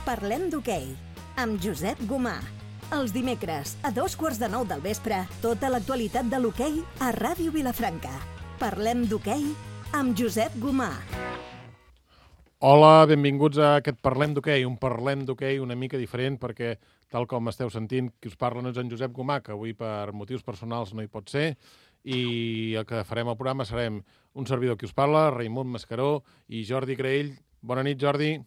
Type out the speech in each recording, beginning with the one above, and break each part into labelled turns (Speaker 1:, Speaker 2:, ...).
Speaker 1: Parlem d'hoquei, amb Josep Gomà. Els dimecres, a 8:45 del vespre, tota l'actualitat de l'hoquei a Ràdio Vilafranca. Parlem d'hoquei amb Josep Gomà.
Speaker 2: Hola, benvinguts a aquest Parlem d'hoquei, un Parlem d'hoquei una mica diferent perquè, tal com esteu sentint, qui us parla no és en Josep Gomà, que avui per motius personals no hi pot ser, i el que farem al programa serem un servidor qui us parla, Raimon Mascaró i Jordi Graell. Bona nit, Jordi.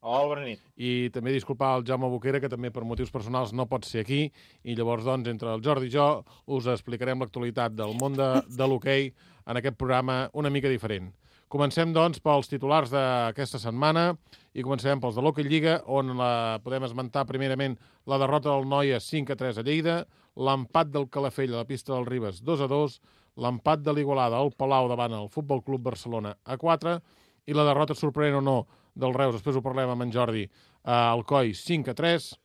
Speaker 3: Hola, bona nit.
Speaker 2: I també disculpar el Jaume Boquera, que també per motius personals no pot ser aquí, i llavors, doncs, entre el Jordi i jo us explicarem l'actualitat del món de l'hoquei en aquest programa una mica diferent. Comencem, doncs, pels titulars d'aquesta setmana i començarem pels de l'Hockey Lliga, on podem esmentar primerament la derrota del Noia 5-3 a Lleida, l'empat del Calafell a la pista del Ribes 2-2, l'empat de l'Igualada al Palau davant el Futbol Club Barcelona a 4 i la derrota, sorprenent o no, del Reus, després ho parlem amb en Jordi, al Coi 5-3,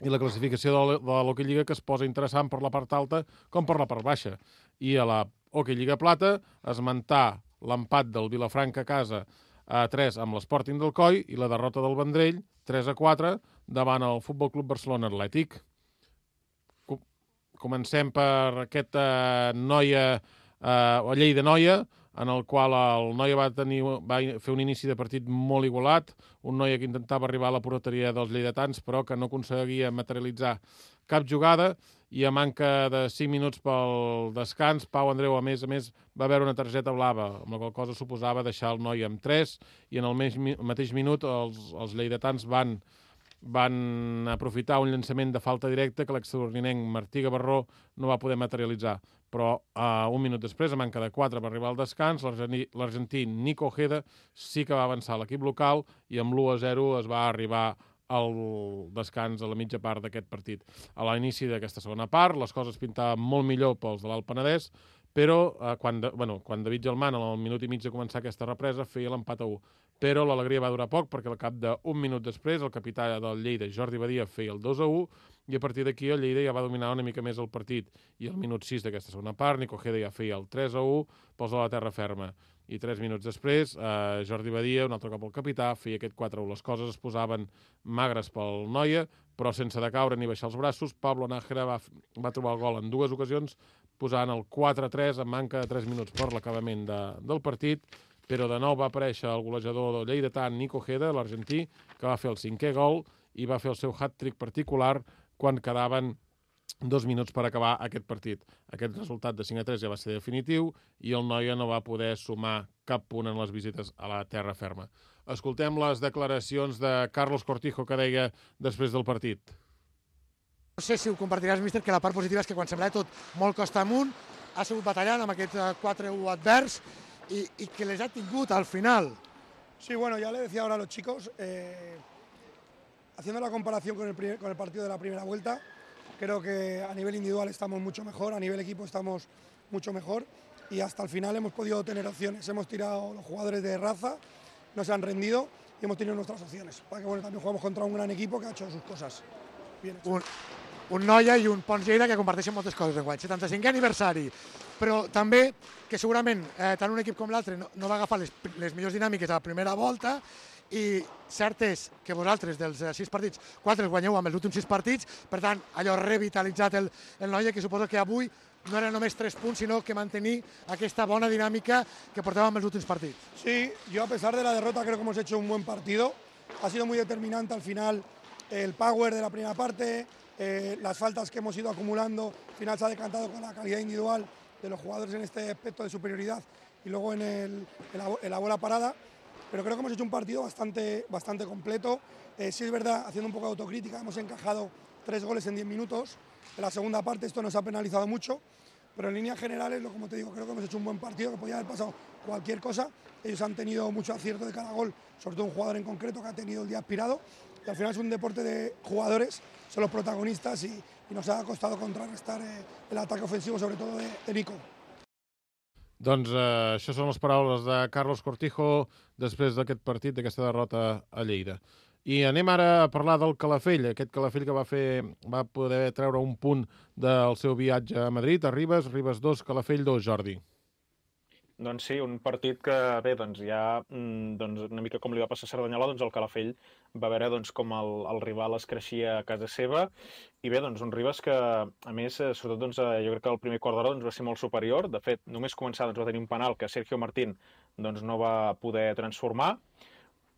Speaker 2: i la classificació de l'Hockey Lliga que es posa interessant per la part alta com per la part baixa. I a la Hockey Lliga Plata, esmentar l'empat del Vilafranca a casa a 3 amb l'Sporting del Coi i la derrota del Vendrell 3-4 davant el Futbol Club Barcelona Atlètic. Comencem per aquest Lleida-Noia, en el qual el Noia va fer un inici de partit molt igualat, un Noia que intentava arribar a la porteria dels lleidatans, però que no aconseguia materialitzar cap jugada, i a manca de 5 minuts pel descans, Pau Andreu, a més, va veure una targeta blava, amb la qual cosa suposava deixar el Noia amb 3, i en el mateix minut els lleidatans van aprofitar un llançament de falta directa que l'extraordinenc Martí Gavarró no va poder materialitzar. Però un minut després, a manca de 4 per arribar al descans, l'argentí Nico Ojeda sí que va avançar l'equip local i amb l'1-0 es va arribar al descans a la mitja part d'aquest partit. A l'inici d'aquesta segona part, les coses pintaven molt millor pels de l'Alt Penedès, però quan David Gelman, al minut i mig de començar aquesta represa, feia l'empat a 1. Però l'alegria va durar poc, perquè al cap d'un minut després el capità del Lleida, Jordi Badia, feia el 2-1, i a partir d'aquí el Lleida ja va dominar una mica més el partit. I al minut 6 d'aquesta segona part, Nico Ojeda ja feia el 3-1 pels de la terra ferma. I 3 minuts després, Jordi Badia, un altre cop el capità, feia aquest 4-1. Les coses es posaven magres pel Noia, però sense decaure ni baixar els braços. Pablo Nájera va trobar el gol en 2 ocasions, posant el 4-3 amb manca de 3 minuts per l'acabament del partit, però de nou va aparèixer el golejador del lleidatà, Nico Ojeda, l'argentí, que va fer el 5è gol i va fer el seu hat-trick particular quan quedaven 2 minuts per acabar aquest partit. Aquest resultat de 5-3 ja va ser definitiu i el Noia no va poder sumar cap punt en les visites a la terra ferma. Escoltem les declaracions de Carlos Cortijo, que deia després del partit.
Speaker 4: No sé si ho compartiràs, míster, que la part positiva és que quan semblava tot molt costa amunt, ha sigut batallant amb aquest 4-1 advers y que les ha tingut al final.
Speaker 5: Sí, bueno, ya le decía ahora a los chicos, haciendo la comparación con el partido de la primera vuelta, creo que a nivel individual estamos mucho mejor, a nivel equipo estamos mucho mejor y hasta el final hemos podido tener opciones. Hemos tirado los jugadores de raza, no se han rendido y hemos tenido nuestras opciones. Para que bueno, también jugamos contra un gran equipo que ha hecho sus cosas bien hechas.
Speaker 4: Un Noia i un Pons Lleida que comparteixen moltes coses d'enguany. 75è aniversari, però també que segurament tant un equip com l'altre no va agafar les millors dinàmiques a la primera volta i cert és que vosaltres dels 6 partits, 4 els guanyeu amb els últims 6 partits, per tant, allò revitalitzat el Noia, que suposo que avui no era només 3 punts, sinó que mantenir aquesta bona dinàmica que portàvem els últims partits.
Speaker 5: Sí, yo a pesar de la derrota creo que hemos hecho un buen partido. Ha sido muy determinante al final el power de la primera parte, las faltas que hemos ido acumulando, al final se ha decantado con la calidad individual de los jugadores en este aspecto de superioridad y luego en la bola parada, pero creo que hemos hecho un partido bastante completo. Sí es verdad, haciendo un poco de autocrítica, hemos encajado 3 goles en 10 minutos, en la segunda parte esto nos ha penalizado mucho, pero en líneas generales, como te digo, creo que hemos hecho un buen partido, que podía haber pasado cualquier cosa. Ellos han tenido mucho acierto de cada gol, sobre todo un jugador en concreto que ha tenido el día aspirado, y al final es un deporte de jugadores, son los protagonistas y nos ha costado contrarrestar el ataque ofensivo, sobre todo de Nico.
Speaker 2: Doncs això són les paraules de Carlos Cortijo després d'aquest partit, d'aquesta derrota a Lleida. I anem ara a parlar del Calafell, aquest Calafell que va poder treure un punt del seu viatge a Madrid, a Ribes 2, Calafell 2, Jordi.
Speaker 3: Doncs sí, un partit que, bé, doncs ja, doncs una mica com li va passar a Cerdanyola, doncs el Calafell va veure doncs, com el rival es creixia a casa seva, i bé, doncs un Ribes que, a més, sobretot, doncs, jo crec que el primer quart d'hora doncs, va ser molt superior. De fet, només començar doncs, va tenir un penal que Sergio Martín doncs, no va poder transformar,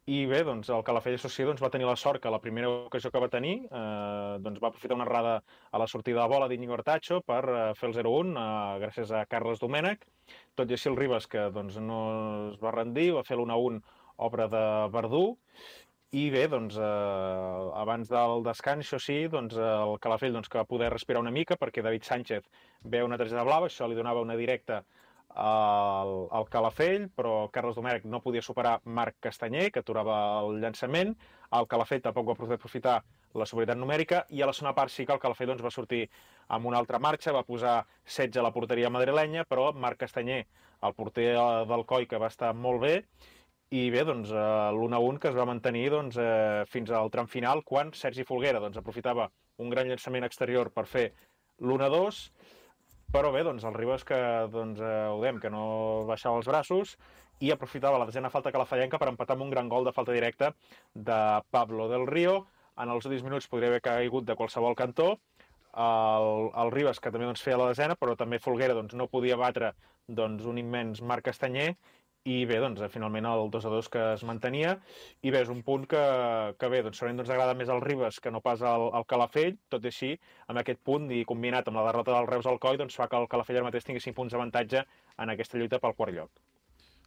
Speaker 3: i bé, doncs el Calafell Associé doncs, va tenir la sort que la primera ocasió que va tenir doncs, va aprofitar una errada a la sortida de bola d'Iñigo Artacho per fer el 0-1 gràcies a Carles Domènech. Tot i així el Ribes, que doncs, no es va rendir, va fer l'1-1 obra de Verdú. I bé, doncs, abans del descans, això sí, doncs, el Calafell doncs, que va poder respirar una mica perquè David Sánchez veu una targeta blava, això li donava una directa al Calafell, però Carles Domènech no podia superar Marc Castanyer, que aturava el llançament. El Calafell tampoc va poder aprofitar la superioritat numèrica, i a la segona part sí que el Calafell doncs, va sortir amb una altra marxa, va posar 16 a la porteria madrilenya, però Marc Castanyer, el porter del Coi, que va estar molt bé, i bé, doncs, l'1-1 que es va mantenir doncs, fins al tram final, quan Sergi Folguera doncs, aprofitava un gran llançament exterior per fer l'1-2, però bé, doncs, el Ribes que, doncs, ho dèiem, que no baixava els braços i aprofitava la desena falta calafellenca per empatar amb un gran gol de falta directa de Pablo del Río. En els últims minuts podria haver caigut de qualsevol cantó. El Ribes, que també doncs, feia la desena, però també Folguera doncs, no podia batre doncs, un immens Marc Castanyer, i bé, doncs, finalment el 2-2 que es mantenia, i bé, és un punt que bé, doncs, segurament doncs, agrada més al Ribes que no pas al Calafell, tot i així, amb aquest punt, i combinat amb la derrota del Reus al Coi, doncs fa que el Calafell ara mateix tingui 5 punts d'avantatge en aquesta lluita pel quart lloc.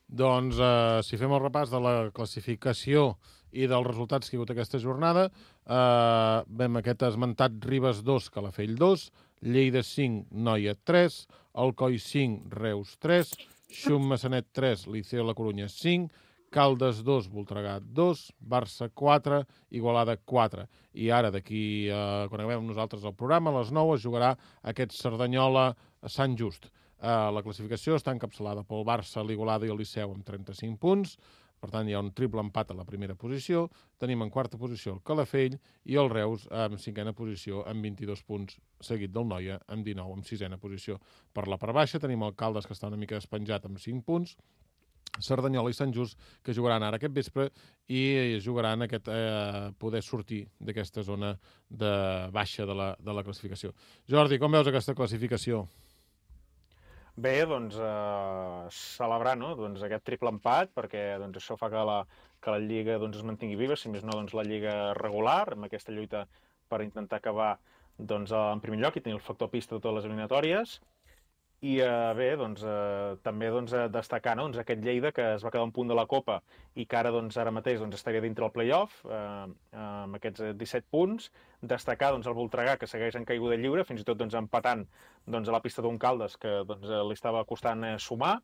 Speaker 2: Doncs, si fem el repàs de la classificació i dels resultats que hi ha hagut aquesta jornada, vam aquest esmentat Ribes 2, Calafell 2, Lleida 5, Noia 3, Alcoi 5, Reus 3, Xum Massanet 3, Liceo La Corunya 5, Caldes 2, Voltregà 2, Barça 4, Igualada 4. I ara, d'aquí, quan acabem nosaltres el programa, a les 9 es jugarà aquest Cerdanyola a Sant Just. La classificació està encapçalada pel Barça, l'Igualada i el Liceu amb 35 punts. Per tant, hi ha un triple empat a la primera posició. Tenim en quarta posició el Calafell i el Reus en cinquena posició amb 22 punts, seguit del Noia amb 19 en sisena posició. Per la part baixa tenim el Caldes, que està una mica despenjat amb 5 punts, Cerdanyola i Sant Just, que jugaran ara aquest vespre i jugaran aquest poder sortir d'aquesta zona de baixa de la classificació. Jordi, com veus aquesta classificació?
Speaker 3: Bé, doncs, celebrar, no? Doncs, aquest triple empat, perquè doncs, això fa que la Lliga doncs, es mantingui viva, si més no doncs, la Lliga regular, amb aquesta lluita per intentar acabar doncs, en primer lloc i tenir el factor pista de totes les eliminatòries. I bé, doncs, també doncs, destacar no? Doncs, aquest Lleida que es va quedar un punt de la Copa i que ara, doncs, ara mateix doncs, estaria dintre el play-off amb aquests 17 punts. Destacar doncs, el Voltregà, que segueix en caiguda lliure, fins i tot doncs, empatant doncs, a la pista d'un Caldes que doncs, li estava costant sumar.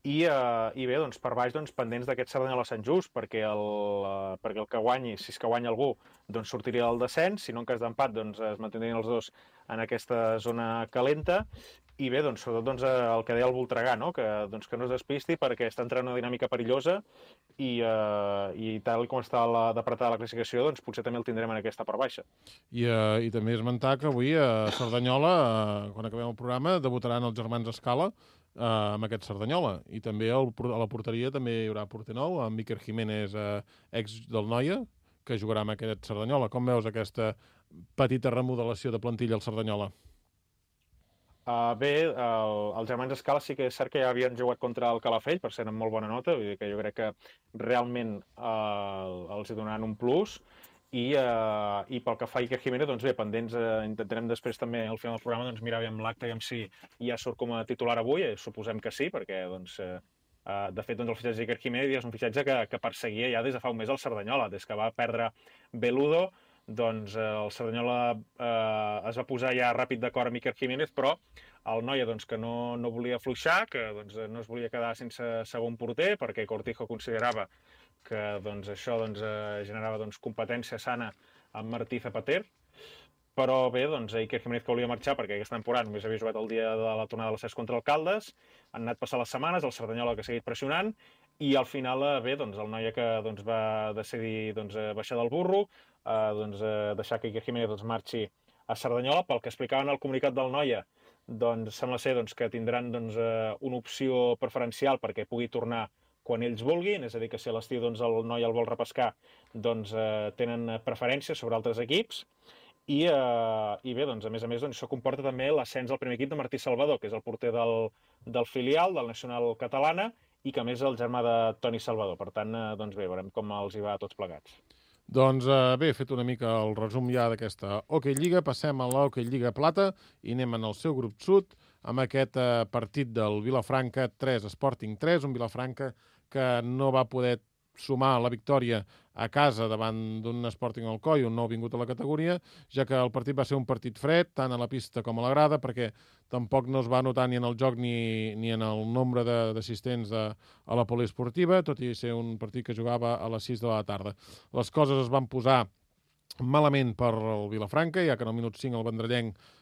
Speaker 3: I bé, doncs, per baix, doncs, pendents d'aquest Cerdanyola Sant Just, perquè el que guanyi, si és que guanya algú, doncs sortiria del descens, si no en cas d'empat doncs, es mantindrien els dos en aquesta zona calenta. I bé, doncs, sobretot doncs, el que deia el Voltregà, no? Que no es despisti perquè està entrant una dinàmica perillosa i tal com està d'apretar la classificació, doncs potser també el tindrem en aquesta part baixa.
Speaker 2: I també esmentar que avui a Cerdanyola, quan acabem el programa, debutaran els germans Escala amb aquest Cerdanyola. I també a la porteria també hi haurà porter nou, amb Iker Jiménez, ex del Noia, que jugarà amb aquest Cerdanyola. Com veus aquesta petita remodelació de plantilla al Cerdanyola?
Speaker 3: Bé, els germans Escala sí que és cert que ja havien jugat contra el Calafell, per ser amb molt bona nota, vull dir que jo crec que realment els hi donaran un plus. I pel que fa a Iker Jiménez, doncs bé, pendents, intentarem després també al final del programa doncs, mirar bé amb l'acte i si ja surt com a titular avui, suposem que sí, perquè doncs, de fet doncs, el fitxatge d'Iker Jiménez és un fitxatge que perseguia ja des de fa un mes el Cerdanyola, des que va perdre Beludo. Doncs el Cerdanyola es va posar ja ràpid d'acord amb Iker Jiménez, però el Noia doncs, que no volia afluixar, que doncs, no es volia quedar sense segon porter, perquè Cortijo considerava que doncs, això doncs, generava doncs, competència sana amb Martí Zapater. Però bé, doncs, Iker Jiménez que volia marxar perquè aquesta temporada només havia jugat el dia de la tornada de l'ascens contra el Caldes, han anat passant les setmanes, el Cerdanyola que ha seguit pressionant, i al final, bé, doncs, el Noia que doncs, va decidir doncs, baixar del burro, doncs, deixar que Iker Jiménez doncs, marxi a Cerdanyola. Pel que explicaven al comunicat del Noia, doncs sembla ser que tindran una opció preferencial perquè pugui tornar quan ells vulguin, és a dir, que si a l'estiu el noi el vol repescar, tenen preferència sobre altres equips. I bé, a més, això comporta també l'ascens al primer equip de Martí Salvador, que és el porter del filial, del Nacional Catalana, i que a més és el germà de Toni Salvador. Per tant, bé, veurem com els hi va a tots plegats.
Speaker 2: Doncs bé, he fet una mica el resum ja d'aquesta Hockey Lliga. Passem a l'Hockey Lliga Plata i anem en el seu grup sud amb aquest partit del Vilafranca 3, Sporting 3, un Vilafranca que no va poder sumar la victòria a casa davant d'un Sporting Alcoi, un nou vingut a la categoria, ja que el partit va ser un partit fred, tant a la pista com a la grada, perquè tampoc no es va notar ni en el joc ni en el nombre d'assistents a la poliesportiva, tot i ser un partit que jugava a les 6 de la tarda. Les coses es van posar malament per el Vilafranca, ja que en el minut 5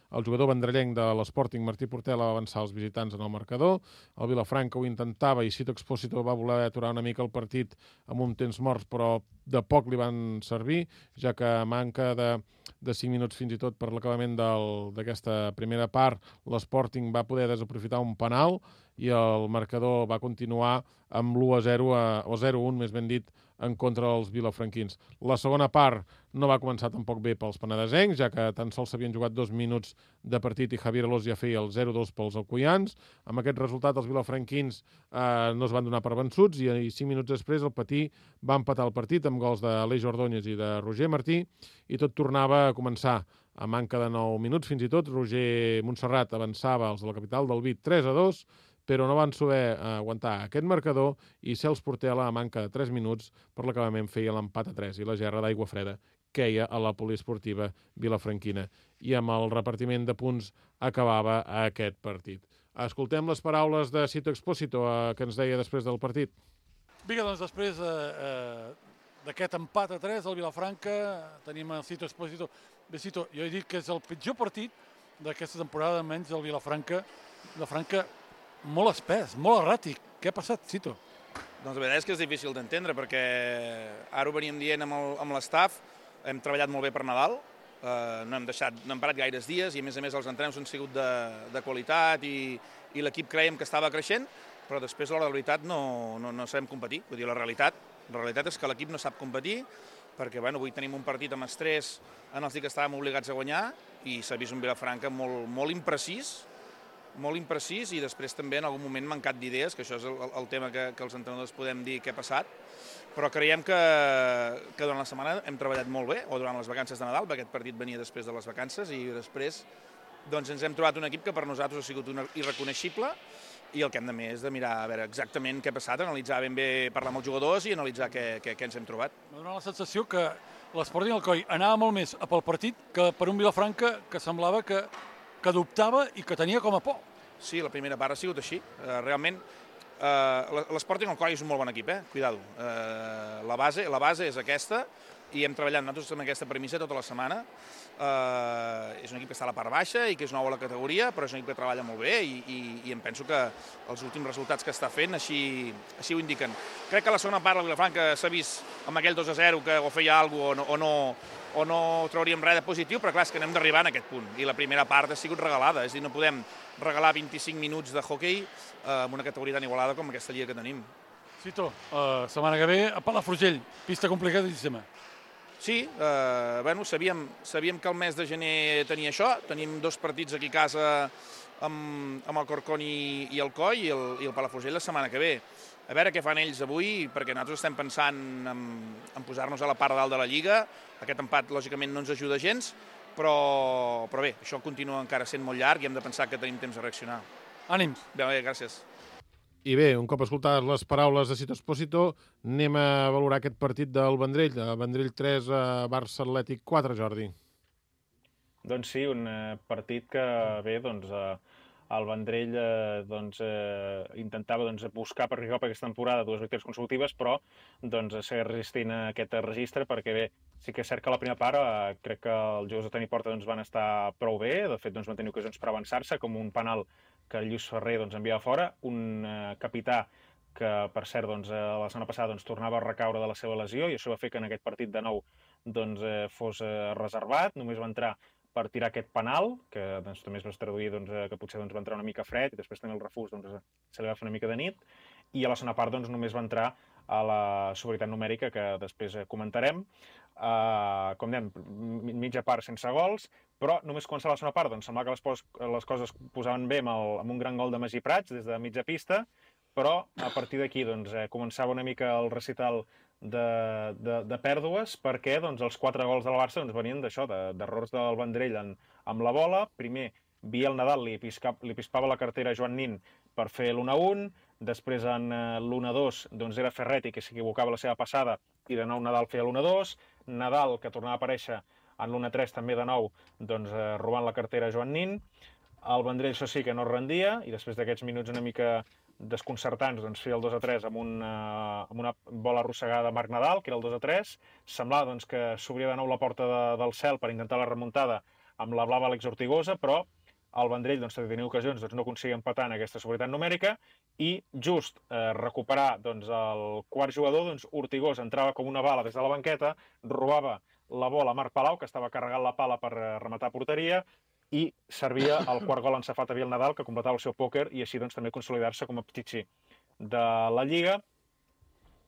Speaker 2: el jugador vendrellenc de l'Sporting, Martí Portela, va avançar els visitants en el marcador. El Vilafranca ho intentava i Cito Expósito va voler aturar una mica el partit amb un temps morts, però de poc li van servir, ja que a manca de 5 minuts fins i tot per l'acabament d'aquesta primera part, l'Sporting va poder desaprofitar un penal i el marcador va continuar amb l'1-0, o 0-1, més ben dit, en contra dels vilafranquins. La segona part no va començar tampoc bé pels penedesencs, ja que tan sols s'havien jugat 2 minuts de partit i Javier Alós ja feia el 0-2 pels alcoians. Amb aquest resultat els vilafranquins no es van donar per vençuts i 5 minuts després el Patí va empatar el partit amb gols d'Aleix Ordóñez i de Roger Martí i tot tornava a començar. A manca de 9 minuts fins i tot, Roger Montserrat avançava els de la capital del Vic 3-2, però no van saber aguantar aquest marcador i Cels Portela, a manca de 3 minuts, per l'acabament feia l'empat a 3 i la gerra d'aigua freda queia a la poliesportiva vilafranquina. I amb el repartiment de punts acabava aquest partit. Escoltem les paraules de Cito Expósito que ens deia després del partit.
Speaker 6: Vinga, doncs després d'aquest empat a 3 al Vilafranca tenim el Cito Expósito. Bé, Cito, jo he dit que és el pitjor partit d'aquesta temporada, almenys del Vilafranca. Vilafranca molt espès, molt erràtic. Què ha passat, Cito?
Speaker 7: Doncs la veritat és que és difícil d'entendre, perquè ara ho veníem dient amb l'estaf, hem treballat molt bé per Nadal, no hem parat gaires dies i a més els entrenos han sigut de qualitat i l'equip creiem que estava creixent, però després a l'hora de la veritat no sabem competir. Vull dir, la realitat és que l'equip no sap competir, perquè avui tenim un partit amb estrès en els que estàvem obligats a guanyar i s'ha vist un Vilafranca molt imprecís, i després també en algun moment mancat d'idees, que això és el tema que els entrenadors podem dir què ha passat, però creiem que durant la setmana hem treballat molt bé, o durant les vacances de Nadal, perquè aquest partit venia després de les vacances, i després ens hem trobat un equip que per nosaltres ha sigut irreconeixible, i el que hem de més és de mirar a veure exactament què ha passat, analitzar ben bé, parlar amb els jugadors i analitzar què ens hem trobat.
Speaker 6: M'ha donat la sensació que l'Sporting Alcoi anava molt més pel partit que per un Vilafranca que semblava que dubtava i que tenia com a por.
Speaker 7: Sí, la primera part ha sigut així. Realment, l'Sporting Alcoi és un molt bon equip, cuidado. La base és aquesta i hem treballat nosaltres amb aquesta premissa tota la setmana. És un equip que està a la part baixa i que és nou a la categoria, però és un equip que treballa molt bé i em penso que els últims resultats que està fent així ho indiquen. Crec que la segona part del Vilafranca s'ha vist amb aquell 2-0 que o feia alguna cosa o no trauríem res de positiu, però clar, és que anem d'arribar en aquest punt. I la primera part ha sigut regalada, és a dir, no podem regalar 25 minuts de hoquei amb una categoria tan igualada com aquesta lliga que tenim.
Speaker 6: Cito, setmana que ve a Palafrugell, pista complicadíssima.
Speaker 7: Sí, sabíem que el mes de gener tenia això, tenim 2 partits aquí a casa amb el Corcón i el Coi i el Palafrugell la setmana que ve. A veure què fan ells avui, perquè nosaltres estem pensant en posar-nos a la part de dalt de la Lliga. Aquest empat, lògicament, no ens ajuda gens, però bé, això continua encara sent molt llarg i hem de pensar que tenim temps de reaccionar.
Speaker 6: Ànims.
Speaker 7: Bé, gràcies.
Speaker 2: I bé, un cop escoltades les paraules de Cito Expósito, anem a valorar aquest partit del Vendrell. Vendrell 3, Barça Atlètic 4, Jordi.
Speaker 3: Doncs sí, un partit que, bé, el Vendrell intentava buscar per arribar per aquesta temporada 2 victòries consecutives, però seguir resistint a aquest registre, perquè bé, sí que és cert que a la primera part crec que els jugadors de Toni Porta van estar prou bé, de fet van tenir ocasions per avançar-se, com un penal que el Lluís Ferrer enviava fora, un capità que, per cert, la setmana passada tornava a recaure de la seva lesió i això va fer que en aquest partit de nou fos reservat, només va entrar per tirar aquest penal, que doncs, també es va traduir que potser va entrar una mica fred i després també el refús se li va fer una mica de nit, i a la segona part només va entrar a la superioritat numèrica, que després comentarem. Com dèiem, mitja part sense gols, però només començar la segona part semblava que les coses posaven bé amb un gran gol de Magí Prats des de mitja pista, però a partir d'aquí començava una mica el recital de pèrdues, perquè els 4 gols del Barça venien d'això, d'errors del Vendrell amb la bola. Primer, Biel Nadal li pispava la cartera a Joan Nin per fer l'1-1, després en l'1-2 era Ferretti que s'equivocava la seva passada i de nou Nadal feia l'1-2, Nadal que tornava a aparèixer en l'1-3 també de nou robant la cartera a Joan Nin. El Vendrell això sí que no es rendia i després d'aquests minuts una mica desconcertants feia el 2-3 amb una bola arrossegada de Marc Nadal, que era el 2-3. Semblava que s'obria de nou la porta del cel per intentar la remuntada amb la blava Àlex Ortigosa, però el Vendrell tenia ocasions, no aconseguia empatar en aquesta superioritat numèrica i just recuperar el quart jugador, Ortigosa entrava com una bala des de la banqueta, robava la bola a Marc Palau, que estava carregant la pala per rematar porteria, i servia el quart gol encefat a Biel Nadal, que completava el seu pòquer i així també consolidar-se com a Pichichi de la Lliga.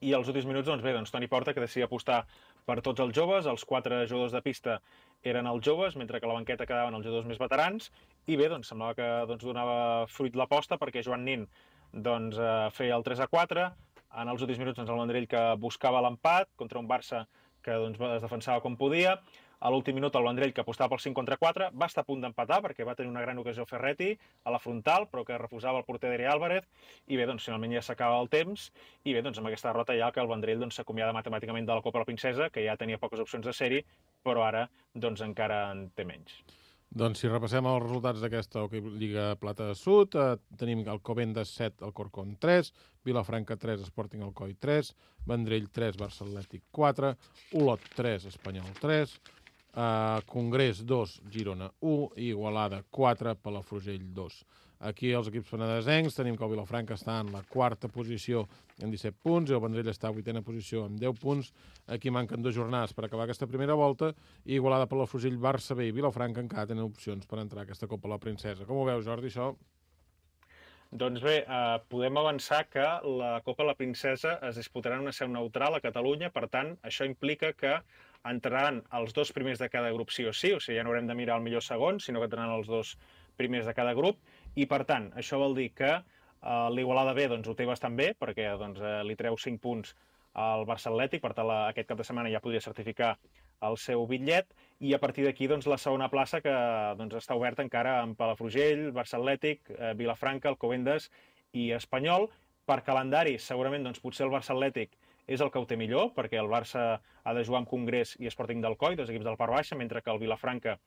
Speaker 3: I als últims minuts, Toni Porta, que decidia apostar per tots els joves, els 4 jugadors de pista eren els joves, mentre que a la banqueta quedaven els jugadors més veterans, i bé, semblava que donava fruit l'aposta, perquè Joan Nin feia el 3-4, en els últims minuts el Vendrell que buscava l'empat contra un Barça que es defensava com podia. A l'últim minut el Vendrell, que apostava pel 5-4, va estar a punt d'empatar perquè va tenir una gran ocasió Ferretti a la frontal, però que refusava el porter Deri Álvarez, i bé, finalment ja s'acaba el temps, i bé, amb aquesta derrota ja que el Vendrell s'acomiada matemàticament de la Copa de la Princesa, que ja tenia poques opcions de ser-hi, però ara encara en té menys.
Speaker 2: Doncs si repassem els resultats d'aquesta Lliga Plata Sud, tenim el Covendas 7, el Corcón 3, Vilafranca 3, Sporting Alcoi 3, Vendrell 3, Barça Atlètic 4, Olot 3, Espanyol 3, Congrés 2, Girona 1 i Igualada 4, Palafrugell 2. Aquí els equips penedesencs tenim que el Vilafranca està en la 4a posició amb 17 punts i el Vendrell està a 8a posició amb 10 punts. Aquí manquen 2 jornades per acabar aquesta primera volta i Igualada, Palafrugell, Barça B i Vilafranca encara tenen opcions per entrar a aquesta Copa de la Princesa. Com ho veus, Jordi, això?
Speaker 3: Doncs bé, podem avançar que la Copa de la Princesa es disputarà en una seu neutral a Catalunya, per tant, això implica que entraran els 2 primers de cada grup sí o sí, o sigui, ja no haurem de mirar el millor segon, sinó que entraran els 2 primers de cada grup, i per tant, això vol dir que l'Igualada B ho té bastant bé, perquè li treu 5 punts al Barça Atlètic, per tant, aquest cap de setmana ja podria certificar el seu bitllet, i a partir d'aquí la segona plaça que està oberta encara amb Palafrugell, Barça Atlètic, Vilafranca, Alcobendas i Espanyol. Per calendari, segurament potser el Barça Atlètic és el que ho té millor, perquè el Barça ha de jugar amb Congrés i Sporting d'Alcoi, 2 equips del Part Baixa, mentre que el Vilafranca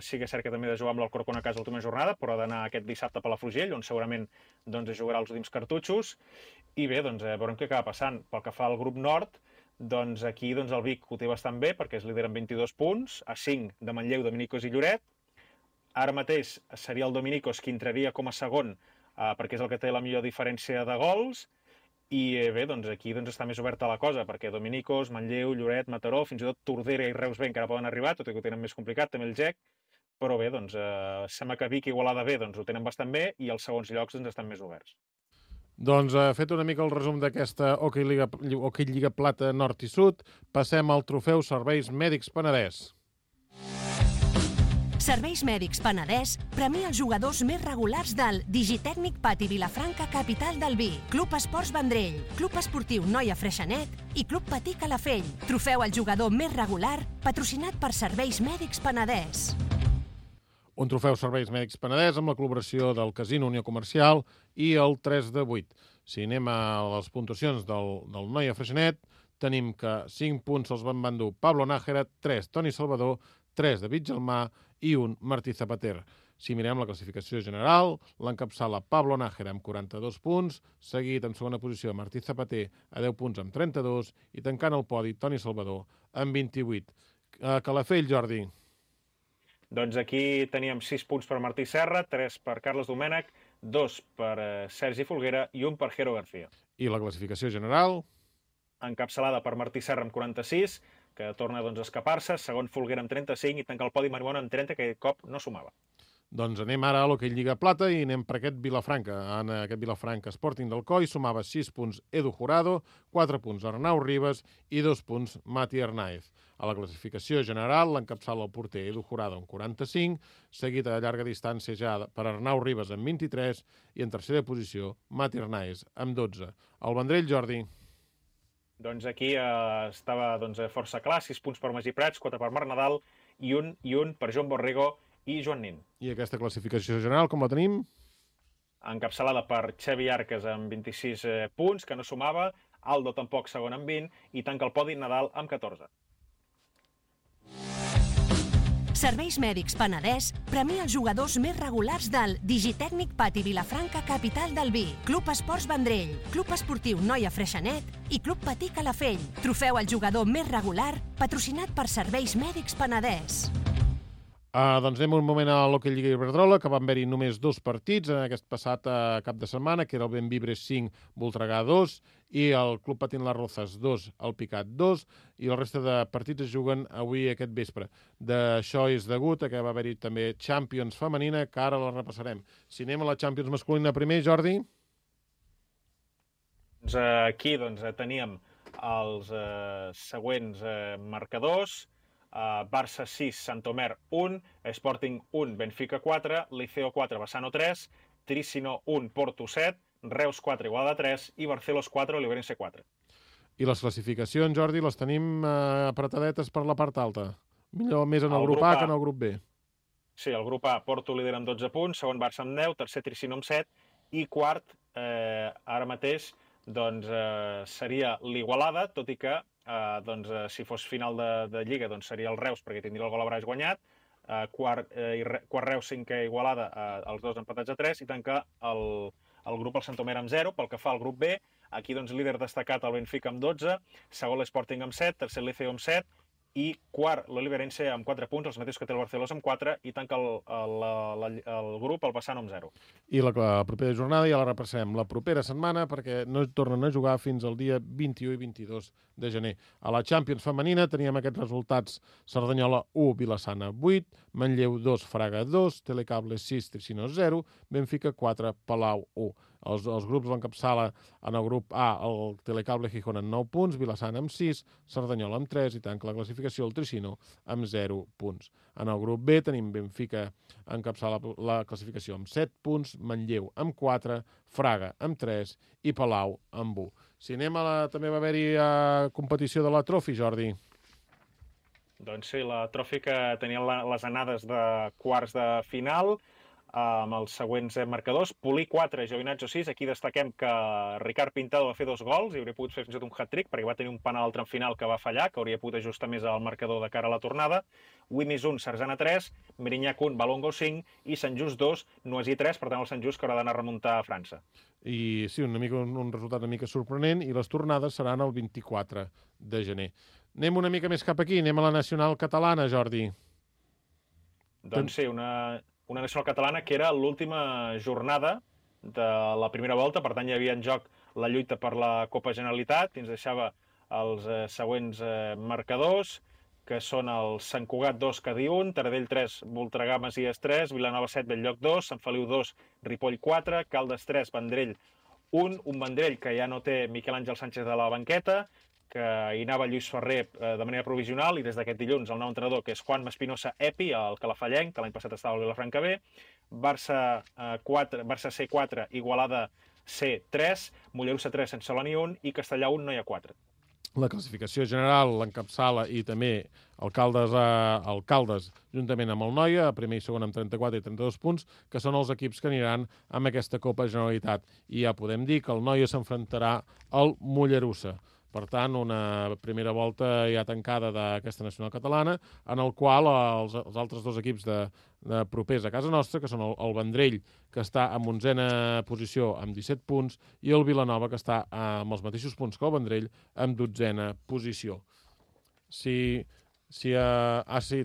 Speaker 3: sí que és cert que també ha de jugar amb l'Alcorcón a casa l'última jornada, però ha d'anar aquest dissabte a Palafrugell, on segurament jugarà els últims cartutxos. I bé, veurem què acaba passant. Pel que fa al grup nord, aquí el Vic ho té bastant bé, perquè és líder amb 22 punts, a 5 de Manlleu, Dominicos i Lloret. Ara mateix seria el Dominicos qui entraria com a segon, perquè és el que té la millor diferència de gols. I bé, aquí està més oberta la cosa, perquè Dominicos, Manlleu, Lloret, Mataró, fins i tot Tordera i Reus B encara poden arribar, tot i que ho tenen més complicat, també el GEC, però bé, sembla que Vic i Igualada B ho tenen bastant bé i els segons llocs estan més oberts.
Speaker 2: Doncs fet una mica el resum d'aquesta Hockey Lliga Plata Nord i Sud, passem al trofeu Serveis Mèdics Penedès.
Speaker 8: Serveis Mèdics Penedès premia els jugadors més regulars del Digitècnic Pati Vilafranca, capital del Vi, Club Esports Vendrell, Club Esportiu Noia Freixenet i Club Patí Calafell. Trofeu al jugador més regular, patrocinat per Serveis Mèdics Penedès.
Speaker 2: Un trofeu Serveis Mèdics Penedès amb la col·laboració del Casino Unió Comercial i el 3 de 8. Si anem a les puntuacions del Noia Freixenet, tenim que 5 punts els van endur Pablo Nájera, 3 Toni Salvador, 3 David Gelmà i 1 Martí Zapater. Si mirem la classificació general, l'encapçala Pablo Nájera amb 42 punts, seguit en segona posició Martí Zapater a 10 punts amb 32 i tancant el podi Toni Salvador amb 28. Calafell, Jordi.
Speaker 3: Doncs aquí teníem 6 punts per Martí Serra, 3 per Carles Domènech, 2 per Sergi Folguera i 1 per Jero García.
Speaker 2: I la classificació general?
Speaker 3: Encapçalada per Martí Serra amb 46, que torna doncs, a escapar-se, segon Folguera amb 35 i tanca el podi Marimón amb 30, que aquest cop no sumava.
Speaker 2: Doncs anem ara a l'hoquei Lliga Plata i anem per aquest Vilafranca. En aquest Vilafranca Sporting d'Alcoi sumava 6 punts Edu Jurado, 4 punts Arnau Ribas i 2 punts Mati Arnaez. A la classificació general l'encapçala el porter Edu Jurado amb 45, seguit a llarga distància ja per Arnau Ribas amb 23 i en tercera posició Mati Arnaez amb 12. El Vendrell, Jordi.
Speaker 3: Doncs aquí estava força clar, 6 punts per Magí Prats, 4 per Marc Nadal i un per Joan Borrego i Joan Nin.
Speaker 2: I aquesta classificació general, com la tenim?
Speaker 3: Encapçalada per Xavi Arques amb 26 punts, que no sumava, Aldo tampoc segon amb 20, i tanca el podi Nadal amb 14.
Speaker 8: Serveis Mèdics Penedès premia els jugadors més regulars del Digitècnic Pati Vilafranca Capital del Vi, Club Esports Vendrell, Club Esportiu Noia Freixenet i Club Patí Calafell. Trofeu al jugador més regular patrocinat per Serveis Mèdics Penedès.
Speaker 2: Doncs anem un moment a l'Hockey Lliga Iberdrola, que van haver-hi només 2 partits en aquest passat cap de setmana, que era el Benvibres 5, Voltregà 2, i el Club Patín Las Rozas 2, el Picat 2, i la resta de partits es juguen avui aquest vespre. D'això és degut a que va haver-hi també Champions femenina, que ara la repassarem. Si anem a la Champions masculina primer, Jordi?
Speaker 3: Aquí teníem els següents marcadors. Barça 6, Santomer 1, Sporting 1, Benfica 4, Liceo 4, Bassano 3, Tricino 1, Porto 7, Reus 4, Igualada 3 i Barcelos 4, Oliverense 4.
Speaker 2: I les classificacions, Jordi, les tenim apretadetes per la part alta. Millor més en el grup A que en el grup B.
Speaker 3: Sí, el grup A, Porto líder amb 12 punts, segon Barça amb 10, tercer Tricino amb 7 i quart, ara mateix, seria l'Igualada, tot i que si fos final de Lliga seria el Reus perquè tindria el gol a Braix guanyat, quart Reus, cinquè Igualada, els dos empatats a 3 i tanca el grup el Santomer amb 0. Pel que fa al grup B, aquí líder destacat el Benfica amb 12, segon l'Sporting amb 7, tercer el Liceo amb 7 i quart l'Oliverense amb 4 punts, els mateixos que té el Barcelos amb 4 i tanca el grup el Bassano amb 0.
Speaker 2: I la propera jornada ja la repassem la propera setmana perquè no tornen a jugar fins al dia 21 i 22 de gener. A la Champions femenina teníem aquests resultats: Cerdanyola 1, Vilassana 8, Manlleu 2, Fraga 2, Telecable 6, Tricino 0, Benfica 4, Palau 1. Els grups l'encapçala en el grup A el Telecable Gijón amb 9 punts, Vilassana amb 6, Cerdanyola amb 3 i tanca la classificació el Tricino amb 0 punts. En el grup B tenim Benfica encapçala la classificació amb 7 punts, Manlleu amb 4, Fraga amb 3 i Palau amb 1. Si anem també va haver-hi competició de la Trophy, Jordi.
Speaker 3: Doncs sí, la Trophy que tenia les anades de quarts de final, amb els següents marcadors. Polí 4, Giovinazzo 6. Aquí destaquem que Ricard Pintado va fer 2 gols i hauria pogut fer fins i tot un hat-trick perquè va tenir un penal al tram final que va fallar, que hauria pogut ajustar més el marcador de cara a la tornada. Wimis 1, Sarzana 3, Mirinyac 1, Balongo 5 i Sant Just 2, Noisy 3, per tant el Sant Just que haurà d'anar a remuntar a França.
Speaker 2: I sí, un resultat una mica sorprenent i les tornades seran el 24 de gener. Anem una mica més cap aquí, anem a la nacional catalana, Jordi.
Speaker 3: Doncs sí, una nacional catalana que era l'última jornada de la primera volta, per tant hi havia en joc la lluita per la Copa Generalitat i ens deixava els següents marcadors, que són el Sant Cugat 2, Cadí 1, Taradell 3, Voltregà Masies 3, Vilanova 7, Belllloc 2, Sant Feliu 2, Ripoll 4, Caldes 3, Vendrell 1, un Vendrell que ja no té Miquel Àngel Sánchez de la banqueta, que hi anava Lluís Ferrer de manera provisional i des d'aquest dilluns el nou entrenador, que és Juan Espinosa Epi, el calafallenc, que l'any passat estava al Vilafranca B, Barça C4, Igualada C3, Mollerussa 3, Sant Celoni 1 i Castellà 1, Noia 4.
Speaker 2: La classificació general l'encapçala i també el Caldes juntament amb el Noia, primer i segon amb 34 i 32 punts, que són els equips que aniran amb aquesta Copa Generalitat. I ja podem dir que el Noia s'enfrontarà al Mollerussa. Per tant, una primera volta ja tancada d'aquesta nacional catalana, en el qual els altres dos equips de propers a casa nostra, que són el Vendrell, que està en 11a posició amb 17 punts, i el Vilanova, que està amb els mateixos punts que el Vendrell, amb 12a posició.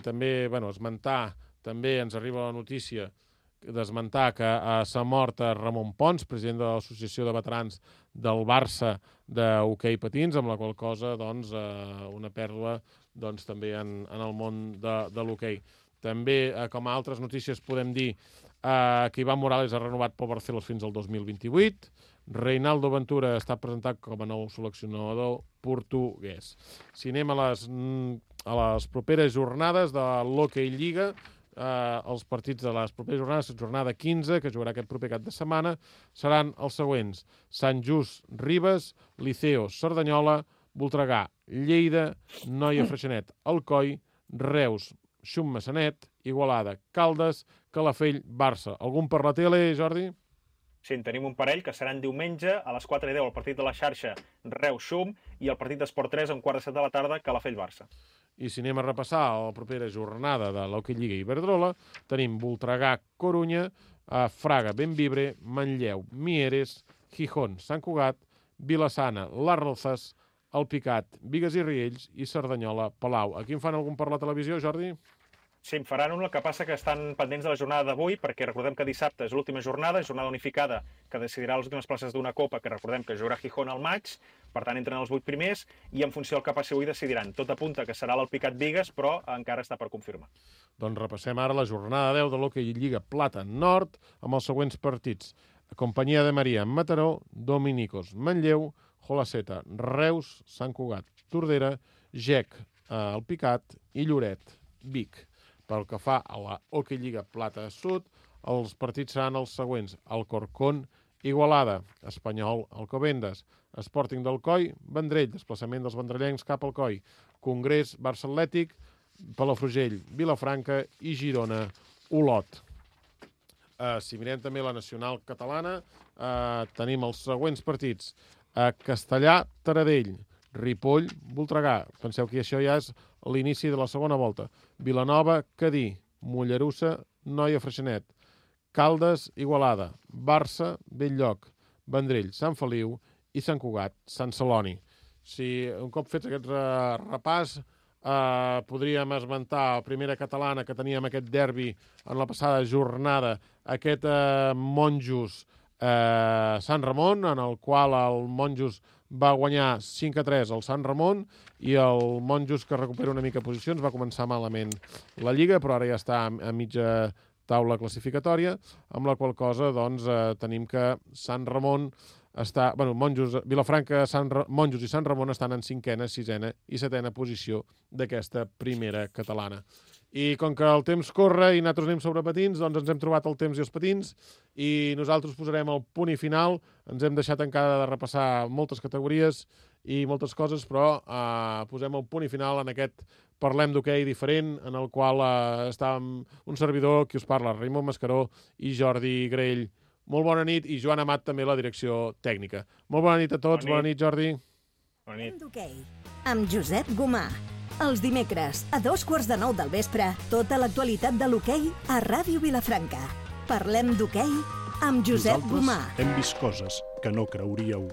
Speaker 2: També, esmentar, també ens arriba la notícia desmentar que s'ha mort Ramon Pons, president de l'Associació de Veterans del Barça d'hoquei patins, amb la qual cosa una pèrdua també en el món de l'hoquei. També, com a altres notícies, podem dir que Iván Morales ha renovat pel Barcelos fins al 2028. Reinaldo Ventura està presentat com a nou seleccionador portuguès. Si anem a les properes jornades de l'Hockey Lliga, els partits de les properes jornades, jornada 15, que jugarà aquest proper cap de setmana, seran els següents: Sant Just, Ribes, Liceo, Cerdanyola, Voltregà, Lleida, Noia, Freixenet, Alcoi, Reus, Xum, Massanet, Igualada, Caldes, Calafell, Barça. Algun per la tele, Jordi?
Speaker 3: Sí, en tenim un parell que seran diumenge a les 4:10 el partit de la xarxa Reus-Xum i el partit d'Esport 3 a 5:45 de la tarda Calafell-Barça.
Speaker 2: I si anem a repassar la propera jornada de l'Hockey Lliga Iberdrola, tenim Voltregà-Corunya, Fraga, Bembibre, Manlleu, Mieres, Gijón, Sant Cugat, Vilassana, Les Rozas, Alpicat, Bigues i Riells i Cerdanyola, Palau. Aquí en fan algun per la televisió, Jordi?
Speaker 3: Sí, en faran un, el que passa que estan pendents de la jornada d'avui, perquè recordem que dissabte és l'última jornada unificada, que decidirà les últimes places d'una Copa, que recordem que jugarà Gijón al maig, per tant entren els 8 primers, i en funció del que passi avui decidiran. Tot apunta que serà l'Alpicat Bigues, però encara està per confirmar.
Speaker 2: Doncs repassem ara la jornada 10 de l'Hockey Lliga Plata Nord, amb els següents partits. Companyia de Maria, Mataró, Dominicos, Manlleu, Jolaceta, Reus, Sant Cugat, Tordera, Gec, Alpicat i Lloret, Vic. Pel que fa a la Hockey Lliga Plata Sud, els partits seran els següents: Alcorcón, Igualada, Espanyol, Alcobendas, Sporting d'Alcoi, Vendrell, desplaçament dels vendrellencs cap al Coi, Congrés, Barça Atlètic, Palafrugell, Vilafranca i Girona, Olot. Si mirem també la nacional catalana, tenim els següents partits: Castellà, Taradell, Ripoll, Voltregà. Penseu que això ja és l'inici de la segona volta. Vilanova, Cadí, Mollerussa, Noia, Freixenet, Caldes, Igualada, Barça, Belllloc, Vendrell, Sant Feliu i Sant Cugat, Sant Celoni. Si un cop fets aquest repàs, podríem esmentar la primera catalana que teníem aquest derbi en la passada jornada, aquest Monjos Sant Ramon, en el qual el Monjos va guanyar 5-3 al Sant Ramon i el Monjos, que recupera una mica posicions, va començar malament la Lliga, però ara ja està a mitja taula classificatòria, amb la qual cosa tenim que Sant Ramon està... Monjos, Vilafranca, Monjos i Sant Ramon estan en 5ª, 6ª i 7ª posició d'aquesta primera catalana. I com que el temps corre i nosaltres anem sobre patins, doncs ens hem trobat el temps i els patins i nosaltres posarem el punt i final. Ens hem deixat encara de repassar moltes categories i moltes coses, però posem el punt i final en aquest Parlem d'hoquei diferent, en el qual està un servidor, qui us parla, Raimon Mascaró i Jordi Grell. Molt bona nit, i Joan Amat també la direcció tècnica. Molt bona nit a tots, bona nit Jordi.
Speaker 3: Bona nit.
Speaker 1: D'hoquei, amb Josep Gomà. Els dimecres, a 2:15 del vespre, tota l'actualitat de l'hoquei a Ràdio Vilafranca. Parlem d'hoquei amb Josep Gomà.
Speaker 9: Nosaltres hem vist coses que no creuríeu.